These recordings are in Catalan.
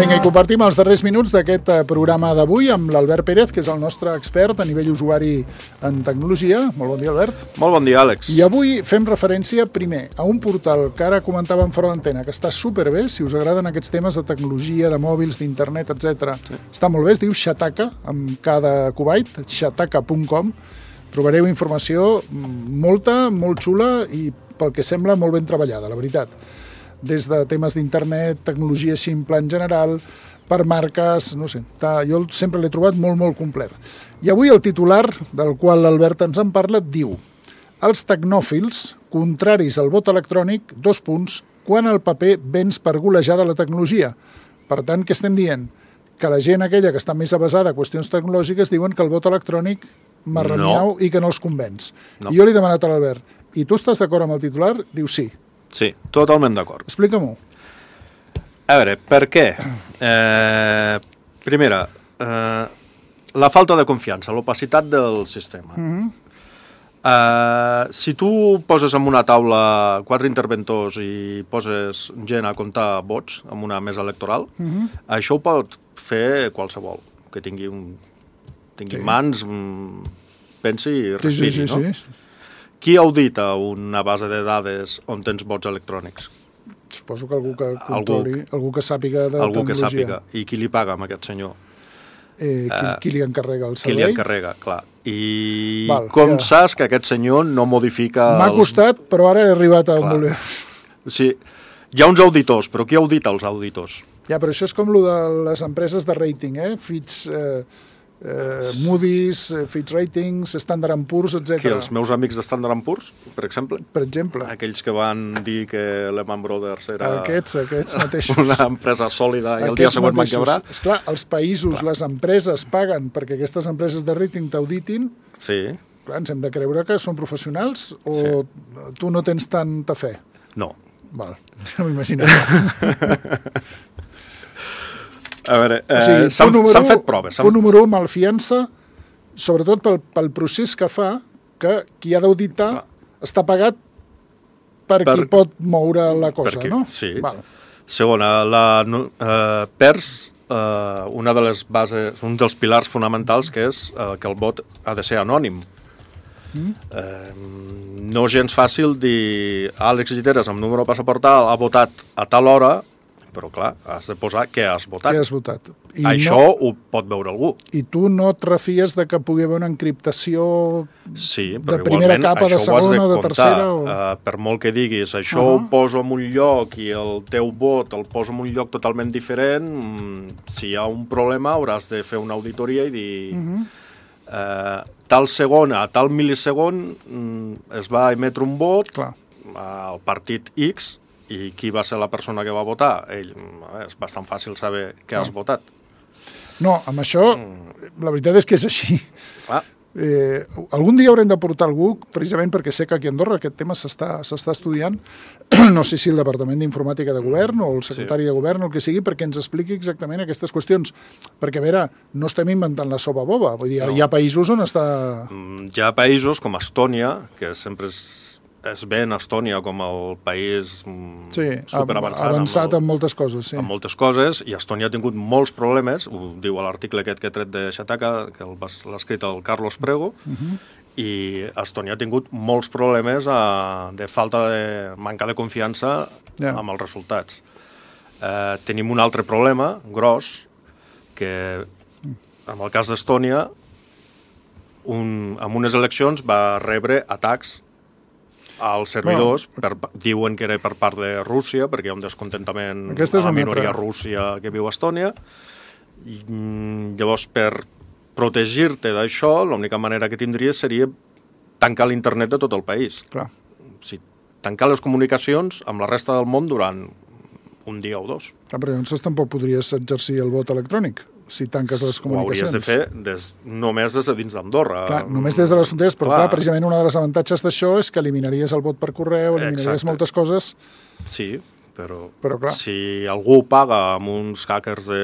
Vinga, i compartim els darrers minuts d'aquest programa d'avui amb l'Albert Pérez, que és el nostre expert a nivell usuari en tecnologia. Molt bon dia, Albert. Molt bon dia, Àlex. I avui fem referència, primer, a un portal que ara comentàvem fora d'antena, que està superbé, si us agraden aquests temes de tecnologia, de mòbils, d'internet, etc. Sí. Està molt bé, es diu Shataka, amb cada Kuwait, shataka.com. Trobareu informació molta, molt xula i, pel que sembla, molt ben treballada, la veritat. Des de temes d'internet, tecnologia simple en general, per marques, no sé, jo sempre l'he trobat molt, molt complet. I avui el titular, del qual l'Albert ens en parla, diu: els tecnòfils, contraris al vot electrònic, quan el paper vens per golejar de la tecnologia. Per tant, què estem dient? Que la gent aquella que està més avesada a qüestions tecnològiques diuen que el vot electrònic marraniau i que no els convenç. No. I jo li he demanat a l'Albert, i tu estàs d'acord amb el titular? Diu sí. Sí, totalment d'acord. Explica-m'ho. A veure, per què? Primera, la falta de confiança, l'opacitat del sistema. Si tu poses en una taula 4 interventors i poses gent a comptar vots en una mesa electoral, això ho pot fer qualsevol, que tingui mans, pensi i respiri, no? Sí. Qui audita una base de dades on tens vots electrònics? Suposo que algú que controli, algú que sàpiga de tecnologia. Algú que sàpiga. I qui li paga amb aquest senyor? Qui li encarrega el servei? Qui li encarrega, clar. I com saps que aquest senyor no modifica... M'ha costat, però ara he arribat a on voler. Sí, hi ha uns auditors, però qui audita els auditors? Ja, però això és com el de les empreses de rating, Fitch... Moody's, Fitch Ratings, Standard & Poor's, etc. Que els meus amics de Standard & Poor's, per exemple? Per exemple. Aquells que van dir que Lehman Brothers era aquests mateixos. Una empresa sòlida i el dia següent van quebrar. Esclar, els països, les empreses paguen perquè aquestes empreses de rating t'auditin. Sí. Clar, ens hem de creure que són professionals o tu no tens tanta fe? No. Val, no m'imaginava. A veure, s'han fet proves. Punt número 1, malfiança, sobretot pel procés que fa, que qui ha d'auditar està pagat per qui pot moure la cosa, no? Sí. Segona, perds una de les bases, un dels pilars fonamentals, que és que el vot ha de ser anònim. No gens fàcil dir Àlex Lliteres, amb número de passaport ha votat a tal hora, però clar, has de posar què has votat. Què has votat. Això ho pot veure algú. I tu no et refies de que pugui haver una encriptació de primera capa, de segona o de tercera? Per molt que diguis, això ho poso en un lloc i el teu vot el poso en un lloc totalment diferent, si hi ha un problema hauràs de fer una auditoria i dir tal segon a tal mil·lisegon es va emetre un vot al partit X i qui va ser la persona que va votar? És bastant fàcil saber què has votat. No, amb això, la veritat és que és així. Algun dia haurem de portar algú, precisament perquè sé que aquí a Andorra aquest tema s'està estudiant, no sé si el Departament d'Informàtica de Govern o el secretari de Govern o el que sigui, perquè ens expliqui exactament aquestes qüestions. Perquè, a veure, no estem inventant la sopa boba. Vull dir, hi ha països on està... Hi ha països com Estònia, que sempre es ven Estònia com el país superavançat en moltes coses. En moltes coses, i Estònia ha tingut molts problemes, ho diu a l'article aquest que he tret de Shataka, que l'ha escrit el Carlos Prego, i Estònia ha tingut molts problemes de manca de confiança amb els resultats. Tenim un altre problema, gros, que en el cas d'Estònia, en unes eleccions va rebre atacs als servidors, diuen que era per part de Rússia, perquè hi ha un descontentament a la minoria rússia que viu a Estònia. Llavors, per protegir-te d'això, l'única manera que tindries seria tancar l'internet de tot el país. Tancar les comunicacions amb la resta del món durant un dia o dos. Però llavors tampoc podries exercir el vot electrònic, si tanques les comunicacions. Ho hauries de fer només des de dins d'Andorra. Clar, només des de les fronteres, però clar, precisament una de les avantatges d'això és que eliminaries el vot per correu, eliminaries moltes coses. Sí, però si algú paga amb uns hackers de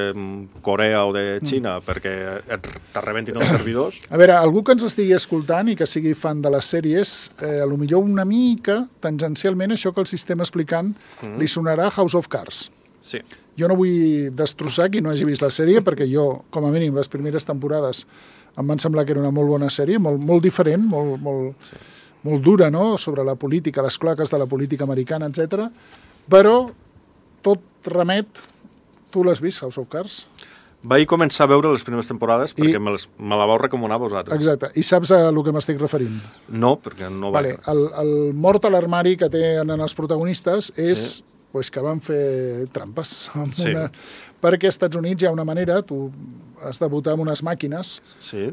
Corea o de Xina perquè te rebentin els servidors... A veure, algú que ens estigui escoltant i que sigui fan de les sèries, potser una mica, tangencialment, això que el sistema explicant li sonarà House of Cards. Sí. Jo no vull destrossar qui no hagi vist la sèrie, perquè jo, com a mínim, les primeres temporades em van semblar que era una molt bona sèrie, molt diferent, molt dura, no?, sobre la política, les cloaques de la política americana, etc. Però tot remet... Tu l'has vist, House of Cards? Vaig començar a veure les primeres temporades perquè me la vau recomanar vosaltres. Exacte. I saps a què m'estic referint? No, perquè no va... Vale. El mort a l'armari que tenen els protagonistes és pues, que van fer trampes. Perquè als Estats Units hi ha una manera, tu has de votar amb unes màquines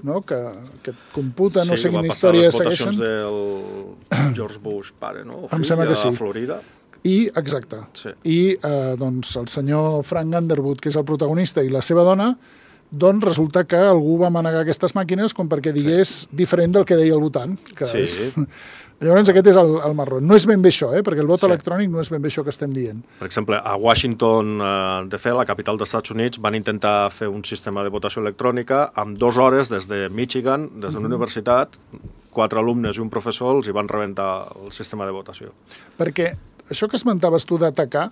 no? que et computen, no sé quina història segueixen. Sí, va passar les votacions del George Bush pare, no? Em sembla que sí. A Florida. Exacte. I doncs el senyor Frank Underwood, que és el protagonista, i la seva dona, doncs resulta que algú va manegar aquestes màquines com perquè digués diferent del que deia el votant. Llavors aquest és el marrón. No és ben bé això, perquè el vot electrònic no és ben bé això que estem dient. Per exemple, a Washington, de fet, la capital dels Estats Units, van intentar fer un sistema de votació electrònica amb 2 hores des de Michigan, des de la universitat, 4 alumnes i un professor els hi van rebentar el sistema de votació. Perquè això que esmentaves tu d'atacar,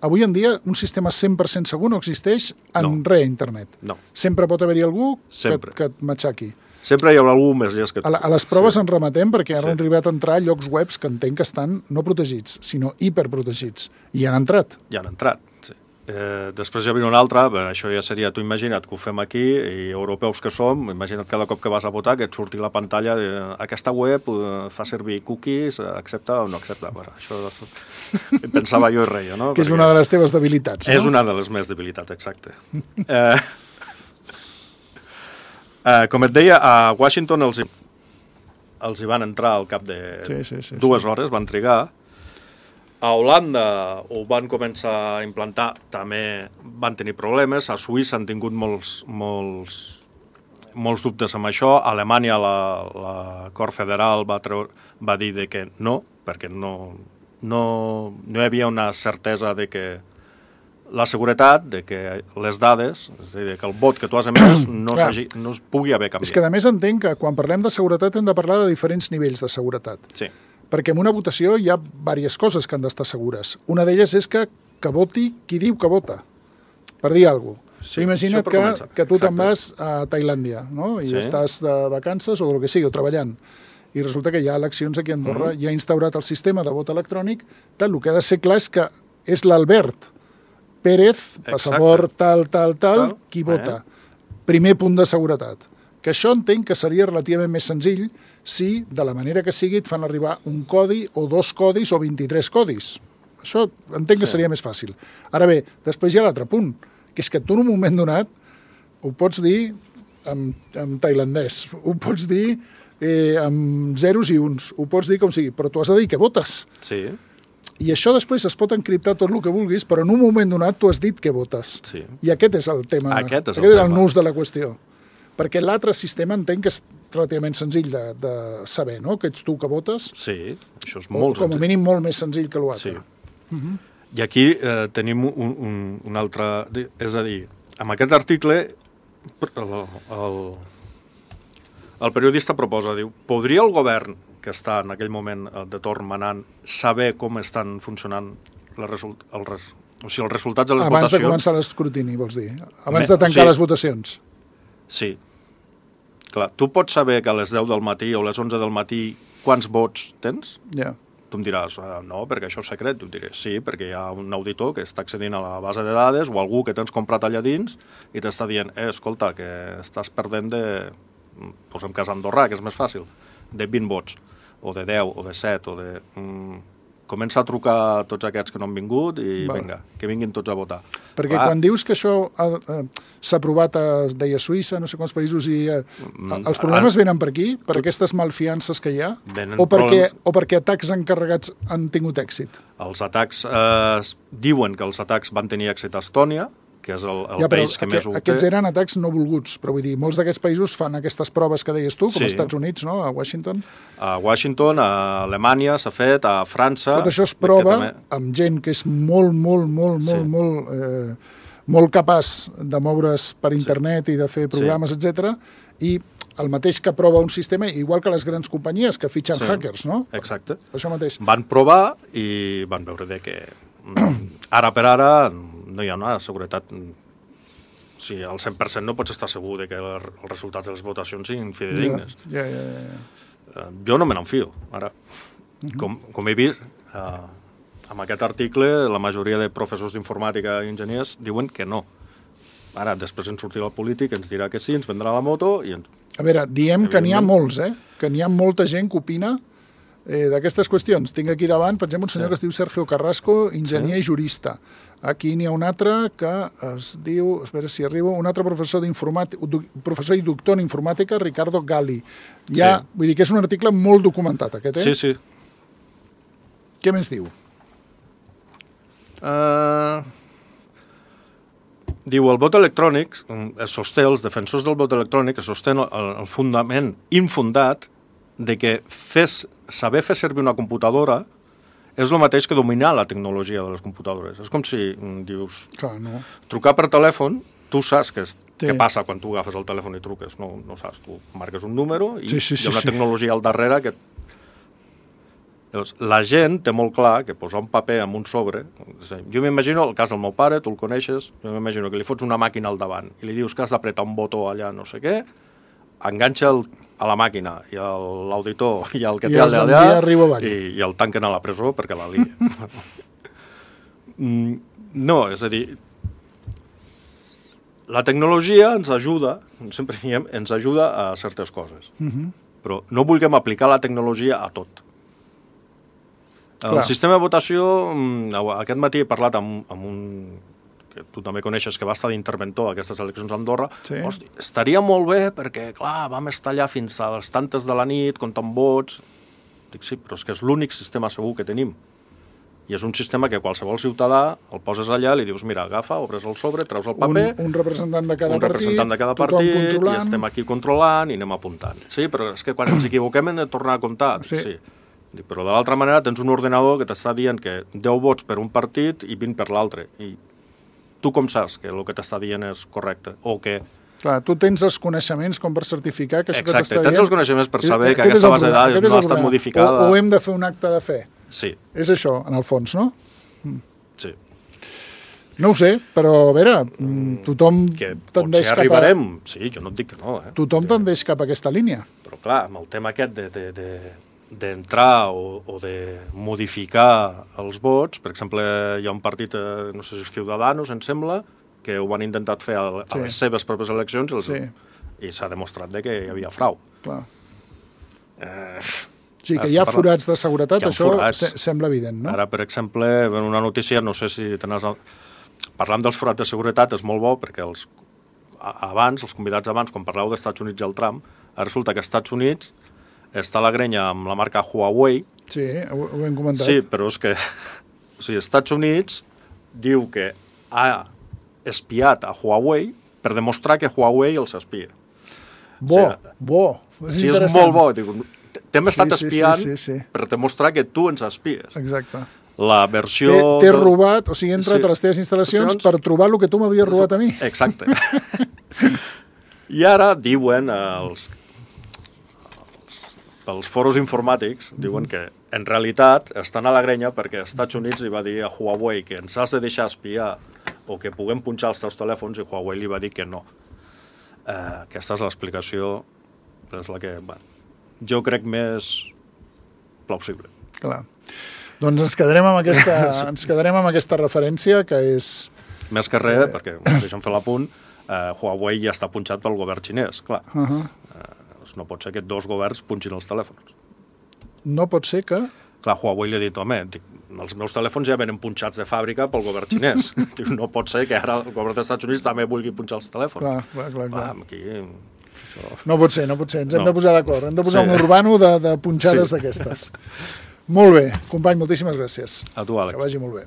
avui en dia un sistema 100% segur no existeix en res a internet. No. Sempre pot haver-hi algú que et matxaqui. Sempre hi haurà algú més llest que tu. A les proves ens remetem perquè han arribat a entrar a llocs webs que entenc que estan no protegits, sinó hiperprotegits. I han entrat. Ja han entrat, sí. Després hi havia una altra, això ja seria, tu imagina't que ho fem aquí, i europeus que som, imagina't cada cop que vas a votar que et surti la pantalla de aquesta web fa servir cookies, accepta o no accepta. Bueno, això pensava jo i reia, no? Que és una de les teves debilitats, no? És una de les meves debilitats, exacte. Com et deia, a Washington els hi van entrar al cap de 2 hores, van trigar. A Holanda ho van començar a implantar, també van tenir problemes. A Suïssa han tingut molts dubtes amb això. A Alemanya la Cort Federal va dir que no, perquè no hi havia una certesa de que la seguretat de que les dades, és a dir, que el vot que tu has emès no es pugui haver canviat. És que a més entenc que quan parlem de seguretat hem de parlar de diferents nivells de seguretat. Sí. Perquè en una votació hi ha diverses coses que han d'estar segures. Una d'elles és que voti qui diu que vota, per dir alguna cosa. Sí, imagina't que tu te'n vas a Tailàndia, no? I estàs de vacances o del que sigui, o treballant, i resulta que hi ha eleccions aquí a Andorra, i ha instaurat el sistema de vot electrònic. Clar, el que ha de ser clar és que és l'Albert Pérez, passaport tal, qui vota. Primer punt de seguretat. Que això entenc que seria relativament més senzill si, de la manera que sigui, et fan arribar un codi o 2 codis o 23 codis. Això entenc que seria més fàcil. Ara bé, després hi ha l'altre punt, que és que tu en un moment donat ho pots dir en tailandès, ho pots dir amb zeros i uns, ho pots dir com sigui, però tu has de dir que votes. Sí. I això després es pot encriptar tot el que vulguis, però en un moment donat tu has dit que votes. Sí. I aquest és el tema. Aquest és el nus de la qüestió. Perquè l'altre sistema entenc que és relativament senzill de saber, no?, que ets tu que votes. Sí, això és molt senzill. Com a mínim molt més senzill que l'altre. Sí. I aquí tenim un altre... És a dir, amb aquest article el periodista proposa, diu, podria el govern que està en aquell moment de torn manant, saber com estan funcionant els resultats de les votacions... Abans de començar l'escrutini, vols dir? Abans de tancar les votacions? Sí. Clar, tu pots saber que a les 10 del matí o a les 11 del matí quants vots tens? Ja. Tu em diràs, no, perquè això és secret. Tu em diràs, sí, perquè hi ha un auditor que està accedint a la base de dades o algú que tens comprat allà dins i t'està dient, escolta, que estàs perdent de... Posem cas andorrà, que és més fàcil, de 20 vots, o de 10, o de 7, o de... Comença a trucar a tots aquests que no han vingut i vinga, que vinguin tots a votar. Perquè quan dius que això s'ha aprovat, deia Suïssa, no sé quants països, i els problemes venen per aquí, per aquestes malfiances que hi ha, o perquè atacs encarregats han tingut èxit? Els atacs, diuen que els atacs van tenir èxit a Estònia, que és el país que més ho té. Aquests eren atacs no volguts, però vull dir, molts d'aquests països fan aquestes proves que deies tu, com als Estats Units, no?, a Washington. A Washington, a Alemanya s'ha fet, a França... Tot això es prova amb gent que és molt capaç de moure's per internet i de fer programes, etc. I el mateix que prova un sistema, igual que les grans companyies que fitxen hackers, no? Exacte. Això mateix. Van provar i van veure que ara per ara no hi ha una seguretat... Sí, al 100% no pots estar segur de que els resultats de les votacions siguin fidedignes. Jo no me n'enfio, ara. Com he vist, amb aquest article, la majoria de professors d'informàtica i enginyers diuen que no. Ara, després ens sortirà el polític, ens dirà que sí, ens vendrà la moto i... A veure, diem que n'hi ha molts, que n'hi ha molta gent que opina d'aquestes qüestions. Tinc aquí davant, per exemple, un senyor que es diu Sergio Carrasco, enginyer i jurista. Aquí n'hi ha un altre que es diu, a veure si arribo, un altre professor i doctor en informàtica, Ricardo Gali. Vull dir que és un article molt documentat, aquest, Sí, sí. Què més diu? Diu, el vot electrònic, els defensors del vot electrònic sostenen el fundament infundat de que saber fer servir una computadora és el mateix que dominar la tecnologia de les computadores. És com si dius, trucar per telèfon, tu saps què passa quan tu agafes el telèfon i truques, no saps, tu marques un número i hi ha una tecnologia al darrere que... Llavors, la gent té molt clar que posar un paper en un sobre... Jo m'imagino, el cas del meu pare, tu el coneixes, jo m'imagino que li fots una màquina al davant i li dius que has d'apretar un botó allà, no sé què, enganxa a la màquina i l'auditor i el que té allà i el tanquen a la presó perquè la lia. No, és a dir, la tecnologia ens ajuda, sempre diem, ens ajuda a certes coses, però no vulguem aplicar la tecnologia a tot. El sistema de votació, aquest matí he parlat amb un que tu també coneixes, que va estar d'interventor a aquestes eleccions a Andorra. Hosti, estaria molt bé perquè, clar, vam estar allà fins a les tantes de la nit, comptant vots. Dic, sí, però és que és l'únic sistema segur que tenim. I és un sistema que qualsevol ciutadà el poses allà, li dius, mira, agafa, obres el sobre, treus el paper... Un representant de cada partit, i estem aquí controlant i anem apuntant. Sí, però és que quan ens equivoquem hem de tornar a comptar. Sí. Dic, però de l'altra manera tens un ordenador que t'està dient que 10 vots per un partit i 20 per l'altre. I tu com saps que el que t'està dient és correcte? O que... Clar, tu tens els coneixements com per certificar que això que t'està dient... Exacte, tens els coneixements per saber que aquesta base de dades no ha estat modificada... O hem de fer un acte de fe. Sí. És això, en el fons, no? Sí. No ho sé, però a veure, tothom tendeix cap a... arribarem, sí, jo no et dic que no. Tothom tendeix cap a aquesta línia. Però clar, amb el tema aquest d'entrar o de modificar els vots, per exemple, hi ha un partit, no sé si és Ciudadanos, em sembla, que ho van intentar fer a les seves pròpies eleccions i s'ha demostrat que hi havia frau. Clar. Sí, que hi ha forats de seguretat, això sembla evident, no? Ara, per exemple, una notícia, no sé si parlant dels forats de seguretat és molt bo, perquè els convidats abans, quan parleu dels Estats Units i el Trump, ara resulta que als Estats Units està a la grenya amb la marca Huawei. Sí, ho hem comentat. Sí, però és que els Estats Units diu que ha espiat a Huawei per demostrar que Huawei els espia. Bo. Sí, és molt bo. T'hem estat espiant per demostrar que tu ens espies. Exacte. La versió... T'he robat, o sigui, he entrat a les teves instal·lacions per trobar el que tu m'havies robat a mi. Exacte. I ara diuen els foros informàtics, diuen que en realitat estan a la grenya perquè els Estats Units li va dir a Huawei que ens has de deixar espiar o que puguem punxar els teus telèfons i Huawei li va dir que no. Aquesta és l'explicació, és la que jo crec més plausible. Clar. Doncs ens quedarem amb aquesta referència, que és... Més que res, perquè deixa'm fer l'apunt, Huawei ja està punxat pel govern xinès, clar. No pot ser que dos governs punxin els telèfons. No pot ser que... Clar, Huawei li ha dit, home, els meus telèfons ja venen punxats de fàbrica pel govern xinès. No pot ser que ara el govern dels Estats Units també vulgui punxar els telèfons. Clar. Aquí, això... No pot ser. Ens hem de posar d'acord. Hem de posar un urbano de punxades d'aquestes. Molt bé. Company, moltíssimes gràcies. A tu, Àlex. Que vagi molt bé.